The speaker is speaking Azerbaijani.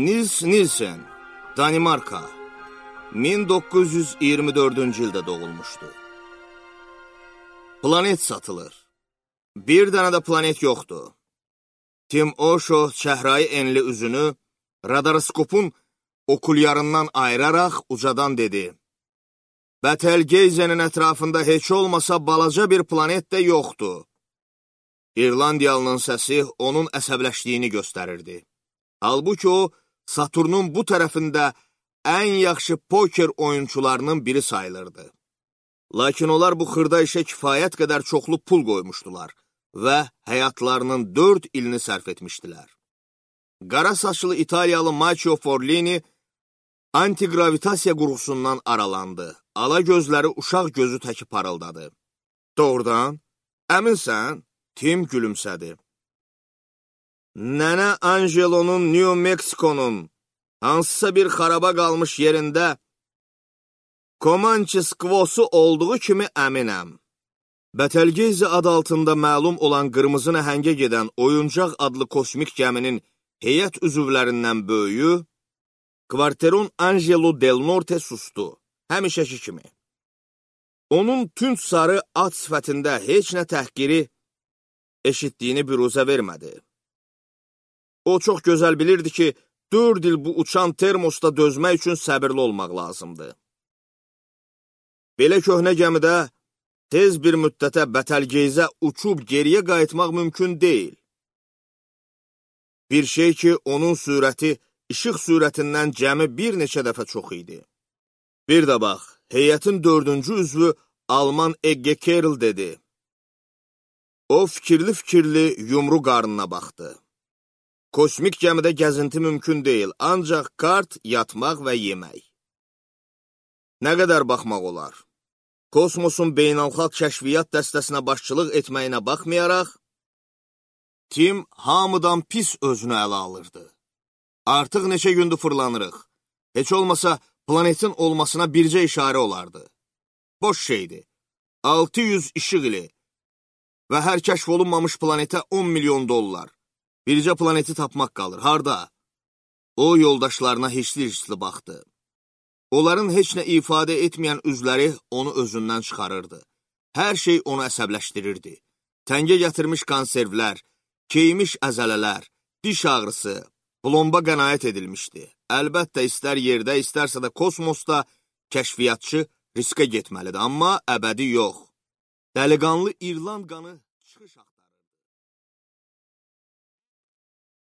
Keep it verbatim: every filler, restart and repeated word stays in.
Nils Nielsen, Danimarka, min doqquz yüz iyirmi dördüncü ildə doğulmuşdu. Planet satılır. Bir dənə də planet yoxdur. Tim Osho çəhrayı enli üzünü radaroskopun okulyarından ayıraraq ucadan dedi. Betelgeyze'nin ətrafında heç olmasa balaca bir planet də yoxdur. İrlandiyalının səsi onun əsəbləşdiyini göstərirdi. Halbuki o, Saturnun bu tərəfində ən yaxşı poker oyunçularının biri sayılırdı. Lakin onlar bu xırda işə kifayət qədər çoxlu pul qoymuşdular və həyatlarının dörd ilini sərf etmişdilər. Qara saçlı İtaliyalı Macio Forlini antigravitasiya qurğusundan aralandı. Ala gözləri uşaq gözü təki parıldadı. Doğrudan, əminsən? Tim gülümsədi. Nənə Angelo'nun New Mexico'nun hansısa bir xaraba qalmış yerində Comanche skvosu olduğu kimi əminəm. Betelgeyze adı altında məlum olan qırmızı nəhəngə gedən oyuncaq adlı kosmik gəminin heyət üzvlərindən böyüyü, Quarteron Angelo Del Norte sustu, həmişəki kimi. Onun tünd sarı at sifətində heç nə təhqiri eşitdiyini büruzə vermədi. O çox gözəl bilirdi ki, dörd il bu uçan termosda dözmək üçün səbirli olmaq lazımdır. Belə köhnə gəmidə tez bir müddətə Betelgeyze uçub geriyə qayıtmaq mümkün deyil. Bir şey ki, onun sürəti işıq sürətindən cəmi bir neçə dəfə çox idi. Bir də bax, heyətin dördüncü üzvü Alman Egge Kerl dedi. O fikirli-fikirli yumru qarnına baxdı. Kosmik gəmidə gəzinti mümkün deyil, ancaq kart, yatmaq və yemək. Nə qədər baxmaq olar? Kosmosun beynəlxalq kəşfiyyat dəstəsinə başçılıq etməyinə baxmayaraq, Tim hamıdan pis özünü ələ alırdı. Artıq neçə gündür fırlanırıq. Heç olmasa planetin olmasına bircə işarə olardı. Boş şeydir. altı yüz işıq ili və hər kəşf olunmamış planetə on milyon dollar. Bircə planeti tapmaq qalır. Harda? O, yoldaşlarına hirsli-hirsli baxdı. Onların heç nə ifadə etməyən üzləri onu özündən çıxarırdı. Hər şey onu əsəbləşdirirdi. Təngə gətirmiş konservlər, keymiş əzələlər, diş ağrısı, plomba qənaət edilmişdi. Əlbəttə, istər yerdə, istərsə də kosmosda kəşfiyyatçı riskə getməlidir, amma əbədi yox. Dəliqanlı İrland qanı çıxış axtarır.